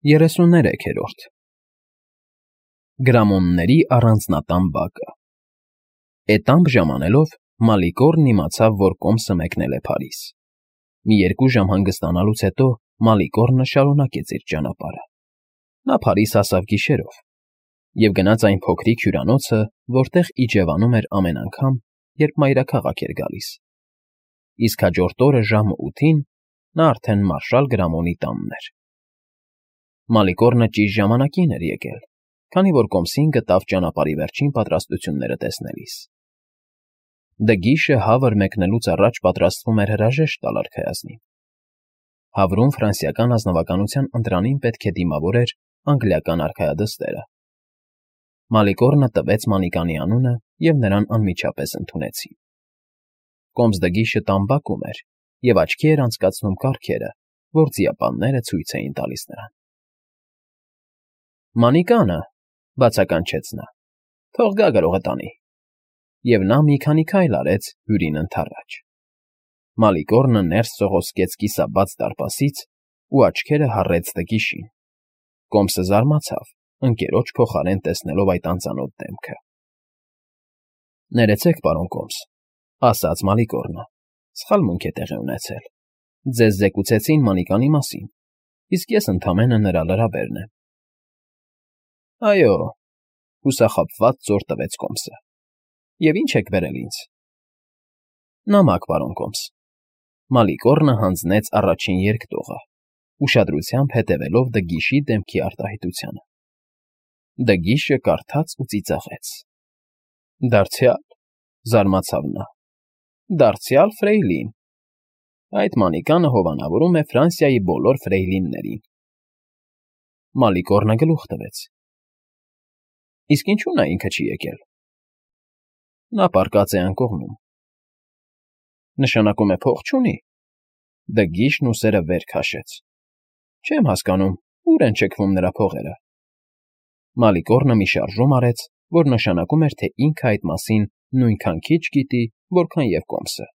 33-րդ Գրամոնների առանձնատան բակը Էտամբ ժամանելով Մալիկորն իմացավ, որ կոմսը մեկնել է Փարիզ։ Մի 2 ժամ հանգստանալուց հետո Մալիկորնը շարունակեց իր ճանապարհը։ Նա Փարիզ հասավ գիշերով և գնաց այն փոքրիկ հյուրանոցը, որտեղ իջևանում էր ամեն անգամ, երբ մայրաքաղաք էր գալիս։ Իսկ հաջորդ օրը ժամը 8-ին նա արդեն մարշալ Գրամոնի տանն էր։ Մալիկորնը ճիշտ ժամանակին էր եկել, քանի որ կոմսին գտավ ճանապարհի վերջին պատրաստությունները տեսնելիս։ Դգիշը հավր մեկնելուց առաջ պատրաստվում էր հրաժեշտ տալ արքայազնին։ Հավրում ֆրանսիական ազնվականության ընտրանին պետք է դիմավորեր անգլիական արքայադստերը։ Մալիկորնը տվեց Մանիկանի անունը, և նրան անմիջապես ընդունեցին։ Կոմս Դգիշը տան բակում էր և աչքի էր անցկացնում կառքերը, որ ձիապանները ցույց էին տալիս նրան։ Մանիկանը, բացականչեց նա, թող գա գրողը տանի, և նա մի քանի քայլ արեց հյուրին ընդառաջ։ Մալիկորնը ներս սողոսկեց կիսաբաց դարպասից ու աչքերը հառեց Դգիշին։ Կոմսը զարմացավ, ընկերոջ փոխարեն տեսնելով այդ անծանոթ դեմքը։ Ներեցեք, պարոն Կոմս, ասաց Մալիկորնը, սխալմունք է տեղի ունեցել։ Ձեզ զեկուցեցին Մանիկանի մասին, իսկ ես ընդամենը նրա լրաբերն եմ։ Այո, հուսախաբված ծոր տվեց Կոմսը։ Եվ ինչ եք բերել ինձ։ Նամակ, պարոն Կոմս։ Մալիկորնը հանձնեց առաջին երկտողը, ուշադրությամբ հետևելով Դգիշի դեմքի արտահայտությանը։ Դգիշը կարդաց ու ծիծաղեց։ Դարձյալ, զարմացավ նա, դարձյալ Ֆրեյլին։ Այդ Մանիկանը հովանավորում է Ֆրանսիայի բոլոր ֆրեյլիններին։ Մալիկորնը գլուխ տվեց։ Իսկ ինչու նա ինքը չի եկել։ Նա պառկած է անկողնում։ Նշանակում է փող չունի։ Դգիշն ուսերը վեր քաշեց։ Չեմ հասկանում, ուր են շքվում նրա փողերը։ Մալիկորնը մի շարժում արեց, որ նշանակում էր, թե ինքը այդ մասին նույնքան քիչ գիտի, որքան և Կոմսը։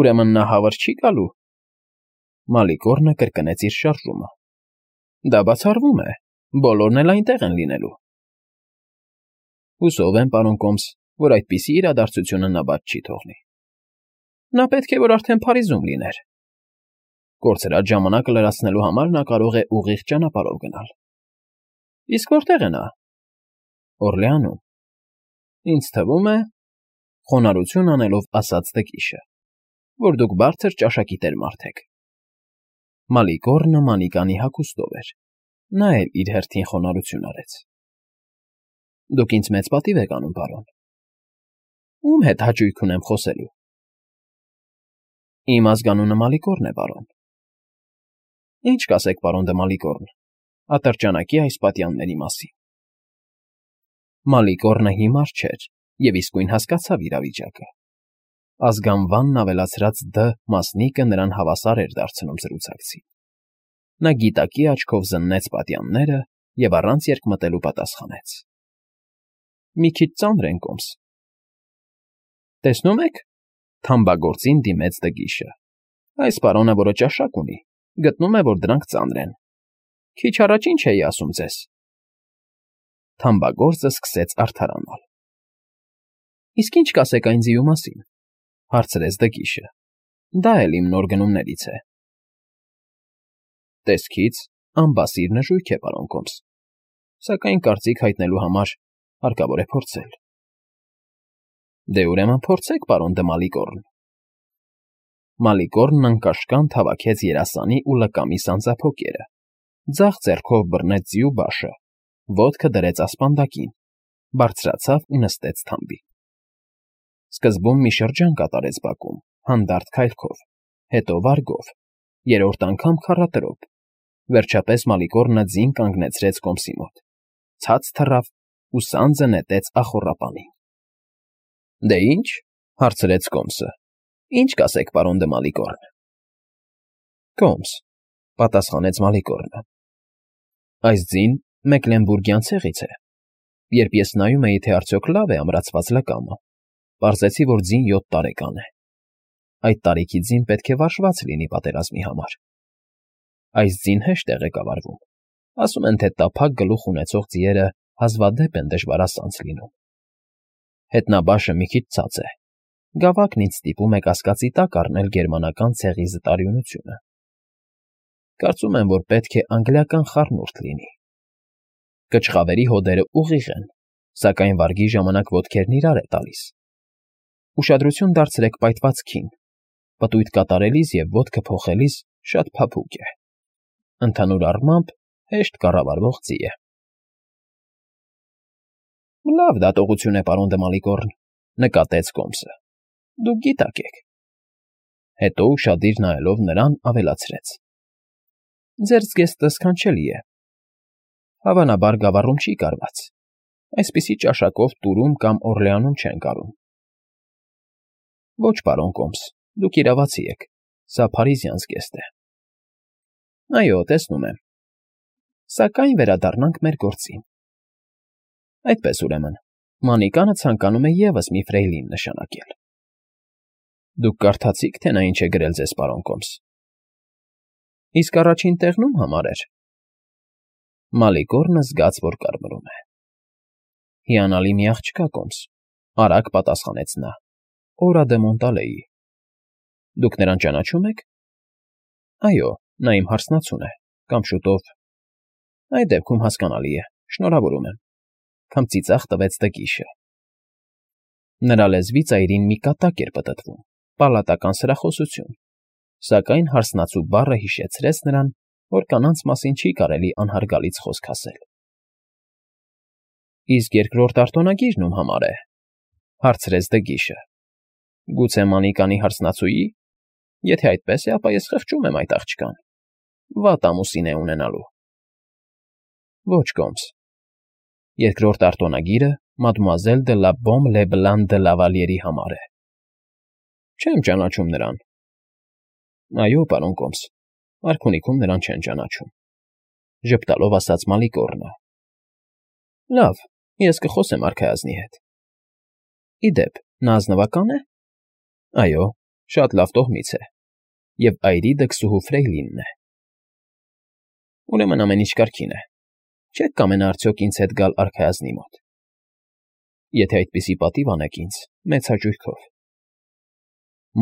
Ուրեմն նա հավր չի գալու։ Մալիկորնը կրկնեց իր շարժումը։ Դա բացառվում է, բոլորն էլ այնտեղ են լինելու։ Հուսով եմ, պարոն Կոմս, որ այդպիսի իրադարձությունը նա բաց չի թողնի։ Նա պետք է, որ արդեն Փարիզում լիներ։ Կորցրած ժամանակը լրացնելու համար նա կարող է ուղիղ ճանապարհով գնալ։ Իսկ որտե՞ղ է նա։ Օրլեանում։ Ինձ թվում է, խոնարհություն անելով ասաց Դգիշը, որ դուք բարձր ճաշակիտեր մարդ եք։ Մալիկորնը Մանիկանի հագուստով էր։ Նա էլ իր հերթին խոնարհություն արեց։ Դուք ինձ մեծ պատիվ եք անում, պարոն։ Ում հետ հաճույք ունեմ խոսելու։ Իմ ազգանունը Մալիկորն է, պարոն։ Ինչ կասեք, պարոն դը Մալիկորն, ատրճանակի այս պատյանների մասին։ Մալիկորնը հիմար չէր և իսկույն հասկացավ իրավիճակը։ Ազգանվանն ավելացրած «դ» մասնիկը նրան հավասար էր դարձնում զրուցակցին։ Նա գիտակի աչքով զննեց պատյանները և առանց երկմտելու պատասխանեց. Մի քիչ ծանր են, Կոմս։ Տեսնում եք, թամբագործին դիմեց Դգիշը։ Այս պարոնը, որը ճաշակ ունի, գտնում է, որ դրանք ծանր են։ Քիչ առաջ ինչ էի ասում ձեզ։ Թամբագործը սկսեց արդարանալ։ Իսկ ինչ կասեք այն ձիու մասին, հարցրեց Դգիշը։ Դա էլ իմ նոր գնումներից է։ Տեսքից անբասիր նժույգ է, պարոն Կոմս, սակայն կարծիք հայտնելու համար հարկավոր է փորձել։ Դե ուրեմն փորձեք, պարոն դը Մալիկորն։ Մալիկորնն անկաշկանդ հավաքեց երասանի ու լկամի սանձափոկերը, ձախ ձեռքով բռնեց ձիու բաշը, ոտքը դրեց ասպանդակին, բարձրացավ ու նստեց թամբին։ Սկզբում մի շրջան կատարեց բակում, հանդարտ քայլքով, հետո վարգով, երրորդ անգամ քառատրոփ, վերջապես Մալիկորնը ձին կանգնեցրեց Կոմսի մոտ, ցած թռավ ու սանձը նետեց ախոռապանին։ Դե ի՞նչ, հարցրեց Կոմսը։ Ինչ կասեք, պարոն դը Մալիկորն։ Կոմս, պատասխանեց Մալիկորնը։ Այս ձին Մեկլենբուրգյան ցեղից է։ Երբ ես նայում էի, թե արդյոք լավ է ամրացված լկամը, պարզեցի, որ ձին 7 տարեկան է։ Այդ տարիքի ձին պետք է վարժված լինի պատերազմի համար։ Այս ձին հեշտ է ղեկավարվում։ Ասում են, թե տափակ գլուխ ունեցող ձիերը հազվադեպ են դժվարասանց լինում։ Հետնաբաշը մի քիչ ցած է։ Գավակն ինձ ստիպում է կասկածի տակ առնել գերմանական ցեղի զտարյունությունը։ Կարծում եմ, որ պետք է անգլիական խառնուրդ լինի։ Կչխավերի հոդերը ուղիղ են, սակայն վարգի ժամանակ ոտքերն իրար է տալիս։ Ուշադրություն դարձրեք պայթվածքին, պտույտ կատարելիս և ոտքը փոխելիս շատ փափուկ է։ Ընդհանուր առմամբ հեշտ կառավարվող ձի է։ Լավ դատողություն է, պարոն Դմալիկորն, նկատեց Կոմսը։ Դուք գիտակ եք։ Հետո ուշադիր նայելով նրան ավելացրեց. Ձեր զգեստը սքանչելի է։ Հավանաբար գավառում չի կարված։ Այսպիսի ճաշակով Տուրում կամ Օրլեանում չեն կարում։ Ոչ, պարոն Կոմս, դուք իրավացի եք, սա փարիզյան զգեստ է։ Այո, տեսնում եմ։ Սակայն վերադառնանք մեր գործին։ Այդպես ուրեմն, Մանիկանը ցանկանում է ևս մի ֆրեյլին նշանակել։ Դուք կարդացիք, թե նա ինչ է գրել ձեզ, պարոն Կոմս։ Իսկ առաջին տեղնում համարեր։ Մալիկորնը զգաց, որ կարմրում է։ Հիանալի մի աղջկա, Կոմս, արագ պատասխանեց նա։ Օրա դե Մոնտալեի։ Դուք նրան ճանաչում եք։ Այո, նա իմ հարսնացուն է, կամ շուտով։ Այդ դեպքում հասկանալի է, շնորհավորում եմ, քամ ծիծաղ տվեց Դգիշը։ Նրա լեզվի ծայրին մի կատակ էր պտտվում, պալատական սրախոսություն, սակայն հարսնացու բառը հիշեցրեց նրան, որ կանանց մասին չի կարելի անհարգալից խոսք ասել։ Իսկ երկրորդ արտոնագիրն ում համար է, հարցրեց Դգիշը։ Գուցե Մանիկանի հարսնացուի։ Եթե այդպես է, ապա ես խղճում եմ այդ աղջկան։ Վատ ամուսին է ունենալու։ Ոչ, Կոմս։ Երկրորդ արտոնագիրը Մադմուազել դե լա Բոմ Լեբլան դե Լավալիերի համար է։ Չեմ ճանաչում նրան։ Այո, պարոն Կոմս, արքունիքում նրան չեն ճանաչում։ Ժպտալով ասաց Մալիկորնը։ Լավ, ես կխոսեմ արքայազնի հետ։ Իդեպ, նա ազնվակա՞ն է։ Այո, շատ լավ տոհմից է, և այրի դքսուհու ֆրեյլինն է։ Ուրեմն ամեն ինչ կարգին է։ Չեք կամենա արդյոք ինձ հետ գալ արքայազնի մոտ։ Եթե այդպիսի պատիվ անեք ինձ, մեծ հաճույքով։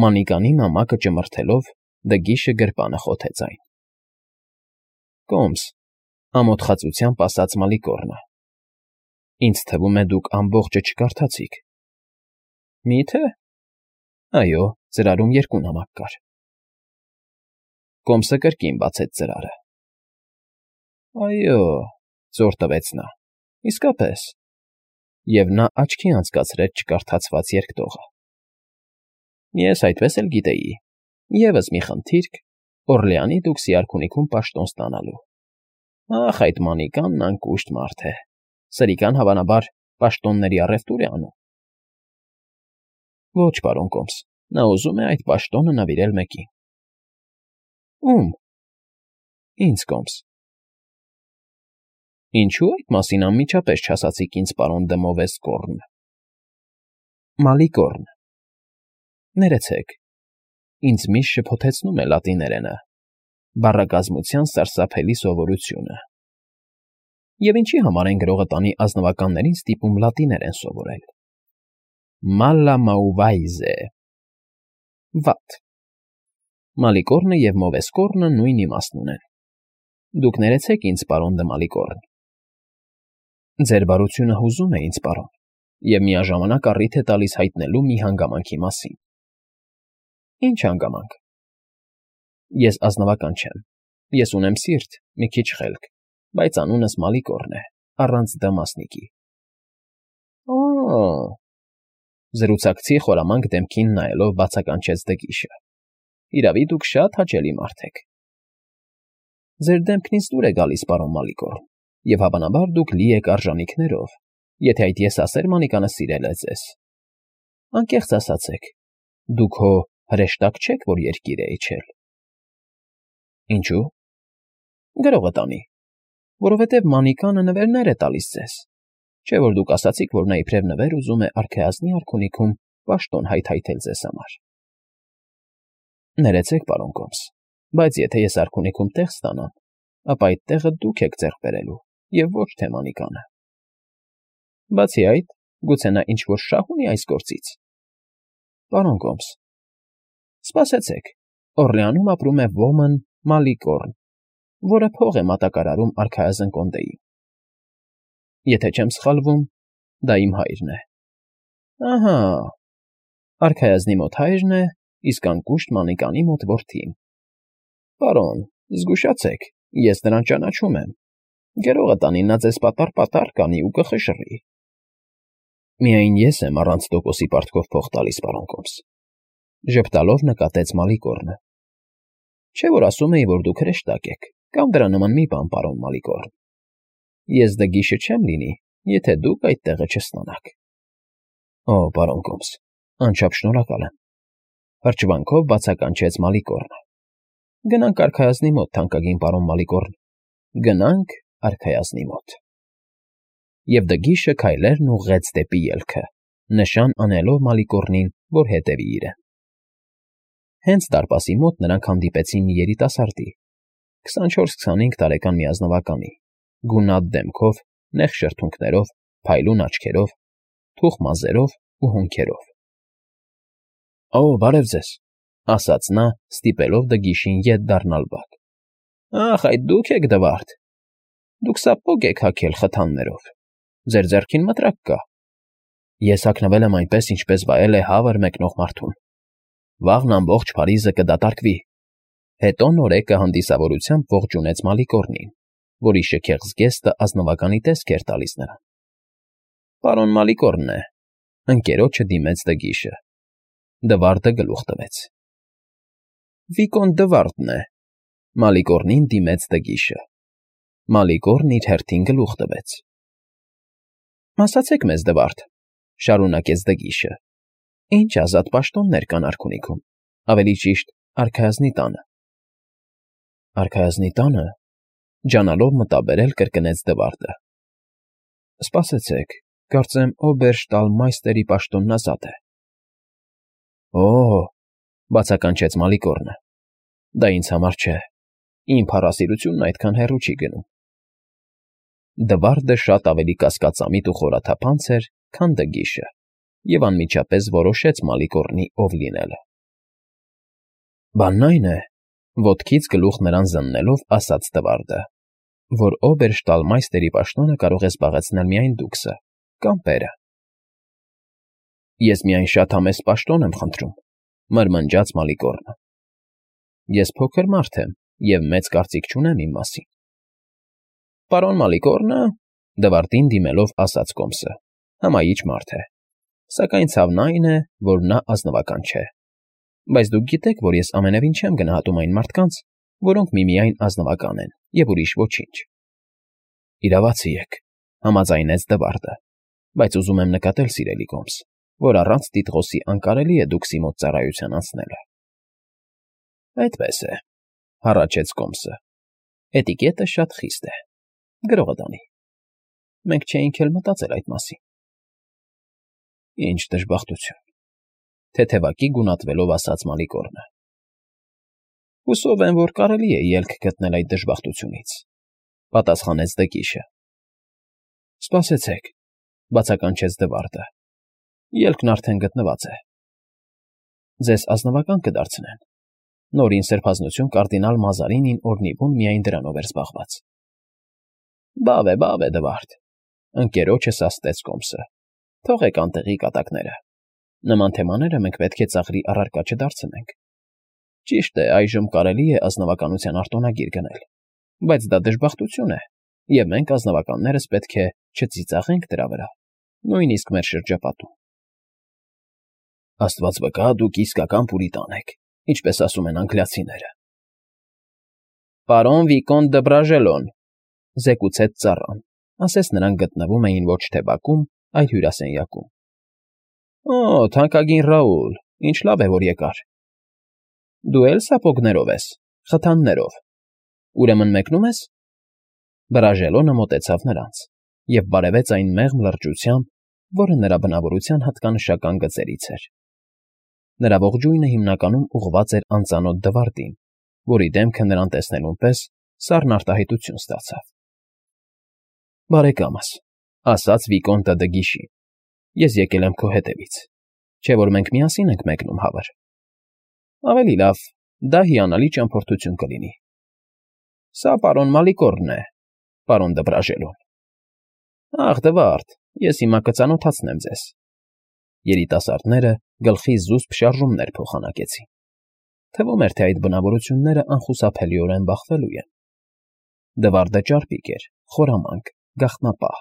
Մանիկանի նամակը ճմրթելով Դգիշը գրպանը խոթեց այն։ Կոմս, ամոթխածությամբ ասաց Մալիկորնը։ Ինձ թվում է դուք ամբողջը չկարդացիք։ Մի՞թե։ Այո, ծրարում երկու նամակ կար։ Կոմսը կրկին բացեց ծրարը։ Այո, ծոր տվեց նա, իսկապես, և նա աչքի անցկացրեց չկարդացված երկտողը։ Ես այդպես էլ գիտեի, ևս մի խնդիրք, Օրլեանի դուքսի արքունիքում պաշտոն ստանալու։ Ախ, այդ Մանիկանն անկուշտ մարդ է, սրիկան հավանաբար պաշտոնների առևտուր է անում։ Ոչ, պարոն Կոմս, նա ուզում է այդ պաշտոնը նվիրել մեկին։ Ում։ Ինձ, Կոմս։ Ինչու այդ մասին անմիջապես չասացիք ինձ, պարոն դե Մովեսկորն։ Մալիկորն։ Ներեցեք, ինձ միշտ շփոթեցնում է լատիներենը, բառակազմության սարսափելի սովորությունը։ Եվ ինչի համար են գրողը տանի ազնվականներին ստիպում լատիներեն սովորել։ Malla mauvaize։ Վատ։ Մալիկորնը և Մովեսկորնը նույն իմաստն ունեն։ Դուք ներեցեք ինձ, պարոն դե Մալիկորն։ Ձեր բարությունը հուզում է ինձ, պարոն, և միաժամանակ առիթ է տալիս հայտնելու մի հանգամանքի մասին։ Ինչ հանգամանք։ Ես ազնվական չեմ։ Ես ունեմ սիրտ, մի քիչ խելք, բայց անունս Մալիկորն է, առանց դ մասնիկի։ Օ՜։ Զրուցակցի խորամանկ դեմքին նայելով բացականչեց Դգիշը։ Իրավի դուք շատ հաճելի մարդ եք։ Ձեր դեմքն ինձ դուր է գալիս, պարոն Մալիկորն, և հավանաբար դուք լի եք արժանիքներով, եթե այդ եսասեր Մանիկանը սիրել է ձեզ։ Անկեղծ ասացեք, դուք հո հրեշտակ չեք, որ երկիր է իջել։ Ինչու։ Գրողը տանի, որովհետև Մանիկանը նվերներ է տալիս ձեզ, չէ՞ որ դուք ասացիք, որ նա իբրև նվեր ուզում է արքայազնի արքունիքում պաշտոն հայթայթել ձեզ համար։ Ներեցեք, պարոն Կոմս, Բայց եթե ես արքունիքում տեղ ստանամ, ապա այդ տեղը դուք եք ձեռք բերելու և ոչ թե Մանիկանը։ Բացի այդ, գուցե նա ինչ-որ շահ ունի այս գործից։ Պարոն Կոմս, սպասեցեք, Օռլեանում ապրում է ոմն Մալիկոռն, որը փող է մատակարարում արքայազն կոնդեին։ Եթե չեմ սխալվում, դա իմ հայրն է։ Ահա, արքայազնի մոտ հայրն է, իսկ անկուշտ Մանիկանի մոտ որդին։ Պարոն, զգուշացեք, ես նրան ճանաչում եմ։ Գերողը տանի նա ձեզ պատառ կանի ու կխշռի։ Միայն ես եմ առանց տոկոսի պարտքով փող տալիս, պարոն Կոմս, ժպտալով նկատեց Մալիկոռնը։ Չէ՞ որ ասում էի, որ դուք հրեշտակ եք, կամ դրա նման մի բան, պարոն Մալիկոռն։ Ես դգիշը չեմ լինի, եթե դուք այդ տեղը չստանաք։ Օ, պարոն Կոմս, անչափ շնորհակալ եմ, հրճվանքով բացականչեց Մալիկոռնը։ Գնանք արքայազնի մոտ, թանկագին պարոն Մալիկոռն, գնանք արքայազնի մոտ։ Եվ դգիշը քայլերն ուղղեց դեպի ելքը, նշան անելով Մալիկոռնին, որ հետևի իրեն։ Հենց դարպասի մոտ նրանք հանդիպեցին մի երիտասարդի, 24-25 տարեկան մի ազնվականի, գունատ դեմքով, նեղ շրթունքներով, փայլուն աչքերով, թուխ մազերով ու հոնքերով։ Օ, բարև ձեզ, ասաց նա, ստիպելով դգիշին ետ դառնալ բակ։ Ախ, այդ դուք եք Դվարդ։ Դուք սապոգ եք հագել խթաններով։ Ձեր ձեռքին մտրակ կա։ Ես հագնվել եմ այնպես, ինչպես վայել է հավր մեկնող մարդուն։ Վաղն ամբողջ Փարիզը կդատարկվի։ Հետո նորեկը հանդիսավորությամբ ողջունեց Մալիկոռնին, որի շքեղ զգեստը ազնվականի տեսք էր տալիս նրան։ Պարոն Մալիկոռնն է, ընկերոջը դիմեց դգիշը։ Դվարդը գլուխ տվեց։ Վիկոն Դվարդն է, Մալիկոռնին դիմեց դգիշը։ Մալիկոռնն իր հերթին գլուխ տվեց։ Ասացեք մեզ, Դվարդ, շարունակեց դգիշը, ինչ ազատ պաշտոններ կան արքունիքում, ավելի ճիշտ, արքայազնի տանը։ Արքայազնի տանը, ջանալով մտաբերել կրկնեց Դվարդը։ Սպասեցեք, կարծեմ օբերշտալմայստերի պաշտոնն ազատ է։ Օ, բացականչեց Մալիկոռնը, դա ինձ համար չէ, իմ փառասիրությունն այդքան հեռու չի գնում։ Դվարդը շատ ավելի կասկածամիտ ու խորաթափանց էր, քան դգիշը, և անմիջապես որոշեց Մալիկոռնի ով լինելը։ Բանն այն է, ոտքից գլուխ նրան զննելով ասաց Դվարդը, որ օբերշտալմայստերի պաշտոնը կարող է զբաղեցնել միայն դուքսը կամ պերը։ Ես միայն շատ համեստ պաշտոն եմ խնդրում, մրմնջաց Մալիկոռնը։ Ես փոքր մարդ եմ և մեծ կարծիք չունեմ իմ մասին։ Պարոն Մալիկոռնը, Դվարդին դիմելով ասաց Կոմսը, հմայիչ մարդ է, սակայն ցավն այն է, որ նա ազնվական չէ։ Բայց դուք գիտեք, որ ես ամենևին չեմ գնահատում այն մարդկանց, որոնք միմիայն ազնվական են և ուրիշ ոչինչ։ Իրավացի եք, համաձայնեց Դվարդը, բայց ուզում եմ նկատել, սիրելի Կոմս, որ առանց տիտղոսի անկարելի է դուքսի մոտ ծառայության անցնելը։ Այդպես է, հառաչեց Կոմսը։ Էտիկետը շատ խիստ է։ Գրողը դանի։ Մենք չէինք էլ մտածել այդ մասին։ Ինչ դժբախտություն, թեթևակի գունատվելով ասաց Մալիկոռնը։ Հուսով եմ, որ կարելի է ելք գտնել այդ դժբախտությունից, պատասխանեց դգիշը։ Սպասեցեք, բացականչեց Դվարդը։ Ելքն արդեն գտնված է։ Ձեզ ազնվական կդարձնեն։ Նորին սրբազնություն կարդինալ Մազարինին օրնիվուն միայն դրանով էր զբաղված։ Բավ է, Դվարդ, ընկերոջը սաստեց Կոմսը։ Թողեք անտեղի կատակները։ Նման թեմաները մենք պետք է ծաղրի առարկա չդարձնենք։ Ճիշտ է, այժմ կարելի է ազնվականության արտոնագիր գնել, բայց դա դժբախտություն է, և մենք ազնվականներս պետք է չծիծաղենք դրա վրա, նույնիսկ մեր շրջապատում։ Աստված վկա, դուք իսկական պուրիտան եք, ինչպես ասում են անգլիացիները։ Պարոն Վիկոն դը Բրաժելոն, զեկուցեց ծառան, ասես նրանք գտնվում էին ոչ թե բակում, այլ հյուրասենյակում։ Օ, թանկագին Ռաուլ, ինչ լավ է, որ եկար։ Դու էլ սապոգներով ես, խթաններով։ Ուրեմն մեկնում ես։ Բրաժելոնը մոտեցավ նրանց և բարևեց այն մեղմ լրջությամբ, որը նրա բնավորության հատկանշական գծերից էր։ Նրա ողջույնը հիմնականում ուղղված էր անծանոթ Դվարդին, որի դեմքը նրան տեսնելուն պես սառն արտահայտություն ստացավ։ Բարեկամս, ասաց Վիկոնտը դը Գիշին, ես եկել եմ քո հետևից, չէ՞ որ մենք միասին ենք մեկնում հավըր։ Ավելի լավ, դա հիանալի ճամփորդություն կլինի։ Սա պարոն Մալիկորն է, պարոն Դբրաժելոն։ Ախ, Դվարդ, ես հիմա կծանոթացնեմ ձեզ։ Երիտասարդները գլխի զուսպ շարժումներ փոխանակեցին։ Թվում էր, թե այդ բնավորությունները անխուսափելիորեն բախվելու են։ Դվարդը ճարպիկ էր, խորամանկ, գաղտնապահ,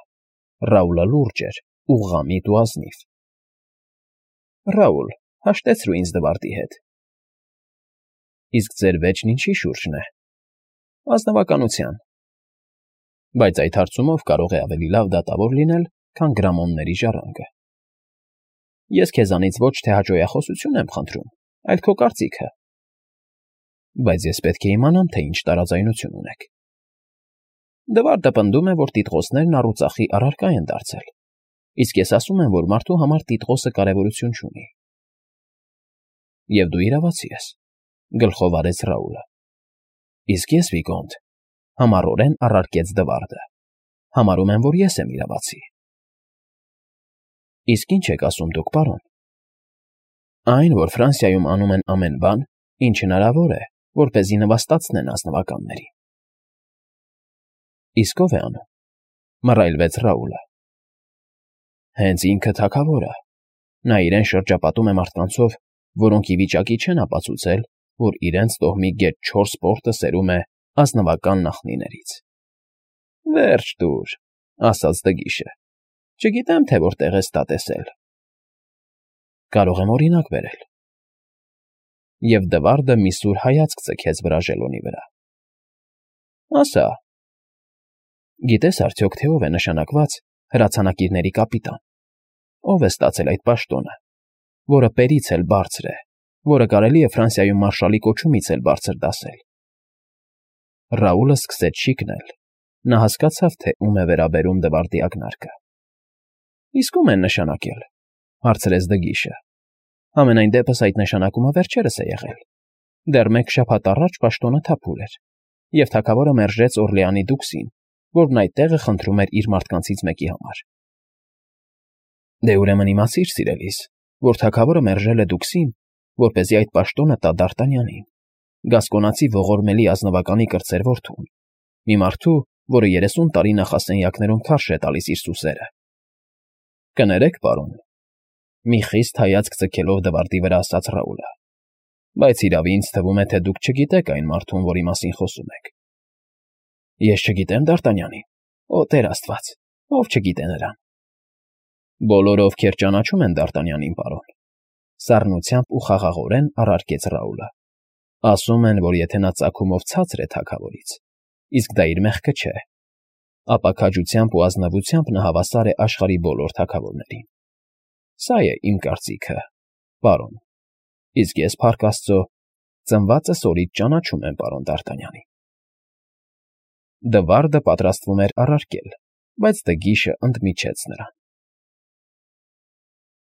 Ռաուլը լուրջ էր, ուղղամիտ ու ազնիվ։ Ռաուլ, հաշտեցրու ինձ Դվարդի հետ։ Իսկ ձեր վեճն ինչի շուրջն է։ Ազնվականության։ Բայց այդ հարցումով կարող է ավելի լավ դատավոր լինել, քան գրամոնների ժառանգը։ Ես քեզանից ոչ թե հաճոյախոսություն եմ խնդրում, այլ քո կարծիքը։ Բայց ես պետք է իմանամ, թե ինչ տարաձայնություն ունեք։ Դվարդը պնդում է, որ տիտղոսներն առուծախի առարկա են դարձել, իսկ ես ասում եմ, որ մարդու համար տիտղոսը կարևորություն չունի։ Եվ դու իրավացի ես, գլխով արեց Ռաուլը։ Իսկ ես, Վիկոնտ, համառորեն առարկեց Դվարդը, համարում եմ, որ ես եմ իրավացի։ Իսկ ինչ եք ասում դուք, պարոն։ Այն, որ Ֆրանսիայում անում են ամեն բան, ինչ հնարավոր է, որպեսզի նվաստացնեն ազնվականներին։ Իսկ ով է անում, մռայլվեց Ռաուլը։ Հենց ինքը թագավորը, նա իրեն շրջապատում է մարդկանցով, որոնք ի վիճակի չեն ապացուցել, որ իրենց տոհմի գետ 4 պորտը սերում է ազնվական նախնիներից։ Վերջ տուր, ասաց Դգիշը, չգիտեմ, թե որտեղ ես դա տեսել։ Կարող եմ օրինակ բերել։ Եվ Դվարդը մի սուր հայացք ձգեց Բրաժելոնի վրա։ Ասա, գիտես արդյոք, թե ով է նշանակված հրացանակիրների կապիտան, ով է ստացել այդ պաշտոնը, որը պերից էլ բարձր է, որը կարելի է Ֆրանսիայում մարշալի կոչումից էլ բարձր դասել։ Ռաուլը սկսեց շիկնել, նա հասկացավ, թե ում է վերաբերում Դվարդի ակնարկը։ Իսկ ում են նշանակել, հարցրեց Դգիշը։ Համենայն դեպս այդ նշանակումը վերջերս է եղել։ Դեռ մեկ շաբաթ առաջ պաշտոնը թափուր էր, և թագավորը մերժեց Օրլեանի դուքսին, որն այդ տեղը խնդրում էր իր մարդկանցից մեկի համար։ Դե ուրեմն իմացիր, սիրելիս, որ թագավորը մերժել է դուքսին, որպեսզի այդ պաշտոնը տա Դարտանյանին, գասկոնացի ողորմելի ազնվականի կրտսեր որդուն, մի մարդու, որը 30 տարի նախասենյակներում քարշ է տալիս իր սուսերը։ Կներեք, պարոն, մի խիստ հայացք ձգելով Դվարդի վրա ասաց Ռաուլը, բայց իրավի ինձ թվում է, թե դուք չգիտեք այն մարդուն, որի մասին խոսում եք։ Ես չգիտեմ Դարտանյանին, օ Տեր Աստված, ով չգիտե նրան։ Բոլորը, ովքեր ճանաչում են Դարտանյանին, պարոն, սառնությամբ ու խաղաղորեն առարկեց Ռաուլը, ասում են, որ եթե նա ծագումով ցածր է թագավորից, իսկ դա իր մեղքը չէ, ապա քաջությամբ ու ազնվությամբ նա հավասար է աշխարհի բոլոր թագավորներին։ Սա է իմ կարծիքը, պարոն, իսկ ես, փառք Աստծո, ծնվածս օրից ճանաչում եմ պարոն Դարտանյանին։ Դվարդը պատրաստվում էր առարկել, բայց Դգիշը ընդմիջեց նրան։